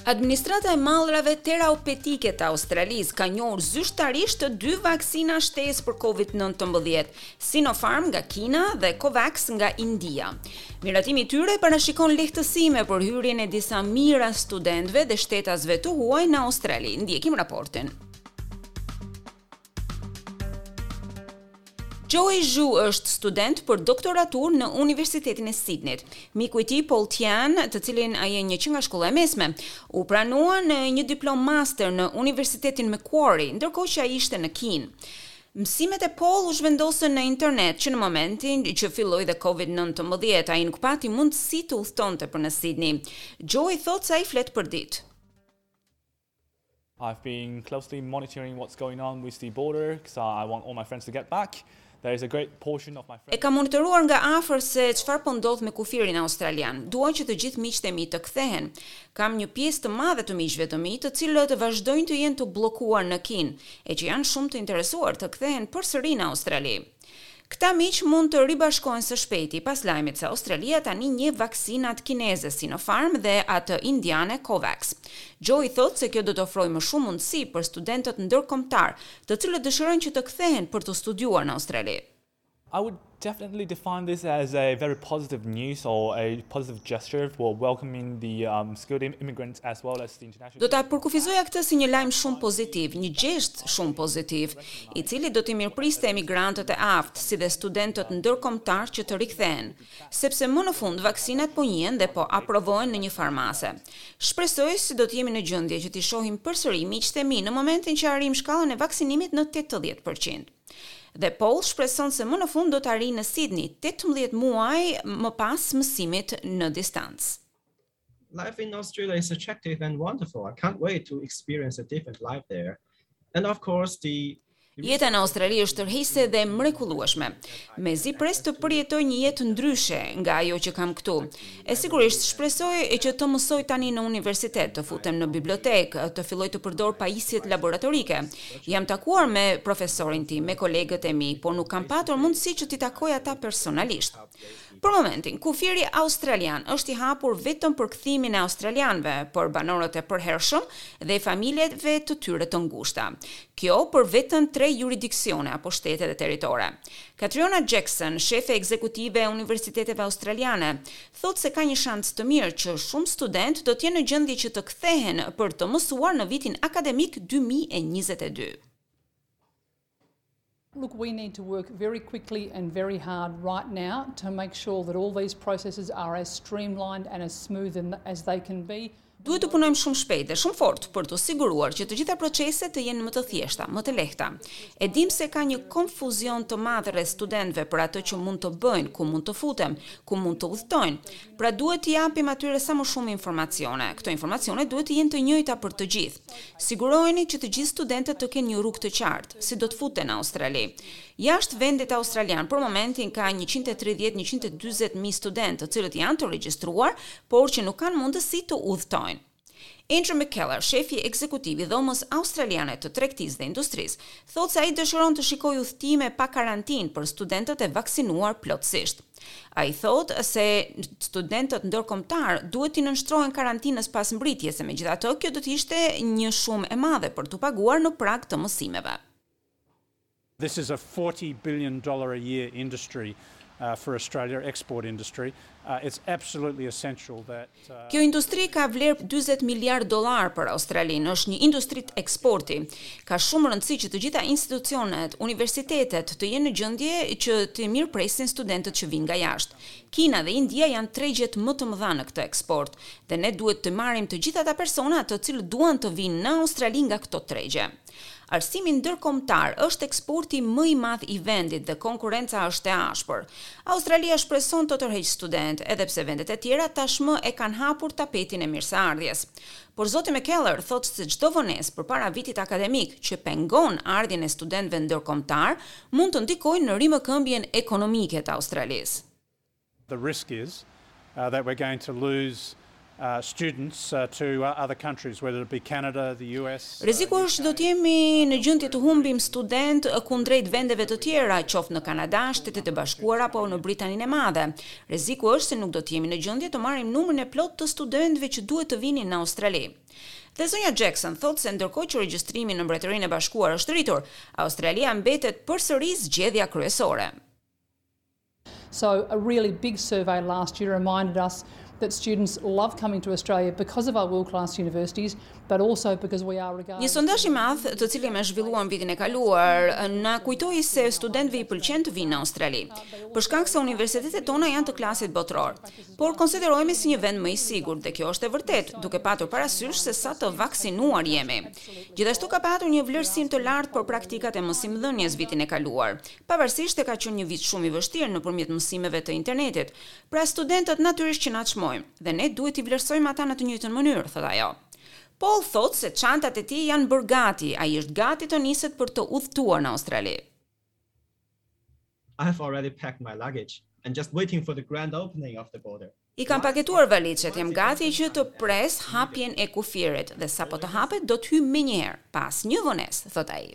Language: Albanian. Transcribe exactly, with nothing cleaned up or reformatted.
Administrata e mallrave terapeutike të Australisë ka njohur zyrtarisht të dy vaksina shtesë për COVID nëntëmbëdhjetë, Sinopharm nga Kina dhe Covax nga India. Miratimi i tyre parashikon lehtësime për hyrjen e disa mijëra studentëve dhe shtetasve të huaj në Australi. Ndjekim raportin. Joey Zhu është student për doktoratur në Universitetin e Sydneyt. Miku i tij Paul Tian, të cilin ai e njeh që nga shkolla e mesme, u pranua në një diplomë master në Universitetin Macquarie, ndërkohë që ai ishte në Kinë. Mësimet e Paul u zhvendosën në internet që në momentin që filloi dhe COVID nëntëmbëdhjetë, ai nuk pati mundësi të udhtonte për në Sydney. Joey thotë se ai flet për ditë. I've been closely monitoring what's going on with the border because I want all my friends to get back. There is a great portion of my friends. E kam monitoruar nga afër se çfarë po ndodh me kufirin australian. Dua që të gjithë miqtë e mi të kthehen. Kam një pjesë të madhe të miqve të mi, të cilët vazhdojnë të jenë të bllokuar në Kinë, e që janë shumë të interesuar të kthehen përsëri në Australi. Këta miq mund të ribashkohen së shpejti pas lajmit se Australia tani njeh vaksinat kineze Sinopharm dhe atë indiane Covax. Joey thotë se kjo do të ofrojë më shumë mundësi për studentët ndërkombëtar, të cilët dëshirojnë që të kthehen për të studiuar në Australi. I would definitely define this as a very positive news or a positive gesture for welcoming the um, skilled immigrants as well as the international. Do ta përkufizoja këtë si një lajm shumë pozitiv, një gjest shumë pozitiv, i cili do t'i mirëpriste emigrantët e aftë, si dhe studentët ndërkombëtar që të rikthehen, sepse më në fund vaksinat po njihen dhe po aprovohen në një farë mase. Shpresoj se do të jemi në gjendje që t'i shohim përsëri miqtë e mi në momentin që arrijmë shkallën e vaksinimit në tetëdhjetë për qind. Dhe Paul shpreson se më në fund do të arrijë në Sydney tetëmbëdhjetë muaj më pas mësimit në distancë. Life in Australia is attractive and wonderful. I can't wait to experience a different life there. And of course, the Jeta në Australi është tërheqëse dhe mrekullueshme. Mezi pres të përjetoj një jetë ndryshe nga ajo që kam këtu. E sigurisht shpresoj që të mësoj tani në universitet, të futem në bibliotekë, të filloj të përdor pajisjet laboratorike. Jam takuar me profesorin tim, me kolegët e mi, por nuk kam patur mundësi që t'i takoj ata personalisht. Për momentin, kufiri australian është i hapur vetëm për kthimin e australianëve, për banorët e përhershëm dhe familjeve të tyre të ngushta. Kjo për vetëm tre juridiksione apo shtete dhe territore. Catriona Jackson, shefe ekzekutive e Universiteteve Australiane, thotë se ka një shans të mirë që shumë studentë do të jenë në gjendje që të kthehen për të mësuar në vitin akademik dy mijë e njëzet e dy. Look, we need to work very quickly and very hard right now to make sure that all these processes are as streamlined and as smooth as they can be. Duhet të punojmë shumë shpejt dhe shumë fort për të siguruar që të gjitha proceset të jenë më të thjeshta, më të lehta. E dim se ka një konfuzion të madh rreth studentëve për atë që mund të bëjnë, ku mund të futen, ku mund të udhtojnë. Pra, duhet të japim atyre sa më shumë informacione. Këto informacione duhet të jenë të njëjta për të gjithë. Sigurojeni që të gjithë studentët të kenë një rrugë të qartë, si do të futen në Australi. Jashtë vendit australian për momentin ka njëqind e tridhjetë njëqind e dyzet mijë studentë, të cilët janë të regjistruar, por që nuk kanë mundësi të udhtojnë. Andrew McKellar, shefi ekzekutiv i Dhomës Australiane të Tregtisë dhe Industrisë, thotë se ai dëshiron të shikojë udhëtime pa karantinë për studentët e vaksinuar plotësisht. Ai thotë se studentët ndërkombëtar duhet të nënshtrohen karantinës pas mbritjes, e megjithatë kjo do të ishte një shumë e madhe për t'u paguar në prag të mësimeve. This is a forty billion dollars a year industry uh, for Australia, export industry. Uh, it's absolutely essential that uh, Kjo industri ka vlerë dyzet miliard dollar për Australinë, është një industri eksporti. Ka shumë rëndësi që të gjitha institucionet, universitetet të jenë në gjendje që të mirëpresin studentët që vinë nga jashtë. Kina dhe India janë tregjet më të mëdha në këtë eksport dhe ne duhet të marrim të gjithë ata persona të cilët duan të vinë në Australi nga këto tregje. Arsimi ndërkombëtar është eksporti më i madh i vendit dhe konkurrenca është e ashpër. Australia shpreson të tërheqë studentë, edhe pse vendet e tjera tashmë e kanë hapur tapetin e mirëseardhjes. Por zoti McKellar thotë se çdo vonesë përpara vitit akademik që pengon ardhjen e studentëve ndërkombëtar mund të ndikojë në rimëkëmbjen ekonomike të Australisë. The risk is uh, that we're going to lose uh, students uh, to uh, other countries, whether it be Canada, the U S. Rreziku është do të jemi në gjendje të humbim student kundrejt vendeve të tjera, qoftë në Kanada, Shtetet e Bashkuara apo në Britaninë e Madhe. Rreziku është se nuk do të jemi në gjendje të marrim numrin e plot të studentëve që duhet të vinin në Australi. Dhe zonja Jackson thotë se ndërkohë që regjistrimi në Mbretërinë e Bashkuar është rritur, Australia mbetet përsëri zgjedhja kryesore. So a really big survey last year reminded us that students love coming to Australia because of our world-class universities, but also because we are regarded. Një sondazh i madh, të cilin e zhvilluam vitin e kaluar, na kujtoi se studentëve i pëlqen të vinë në Australi, për shkak se universitetet tona janë të klasit botëror. Por konsiderohemi si një vend më i sigurt dhe kjo është e vërtetë, duke patur parasysh se sa të vaksinuar jemi. Gjithashtu ka patur një vlerësim të lartë për praktikat e mësimdhënies vitin e kaluar. Pavarësisht se ka qenë një vit shumë i vështirë nëpërmjet mësimeve të internetit. Pra, studentët natyrisht që na çmojnë dhe ne duhet t'i vlerësojmë ata në të njëjtën mënyrë, thotë ajo. Paul thotë se çantat e tij janë bërë gati, ai është gati të niset për të udhëtuar në Australi. I have already packed my luggage and just waiting for the grand opening of the border. I kam paketuar valixhet, jam gati që të pres hapjen e kufirit dhe sapo të hapet do të hyj menjëherë, pa asnjë vonesë, thotë ai.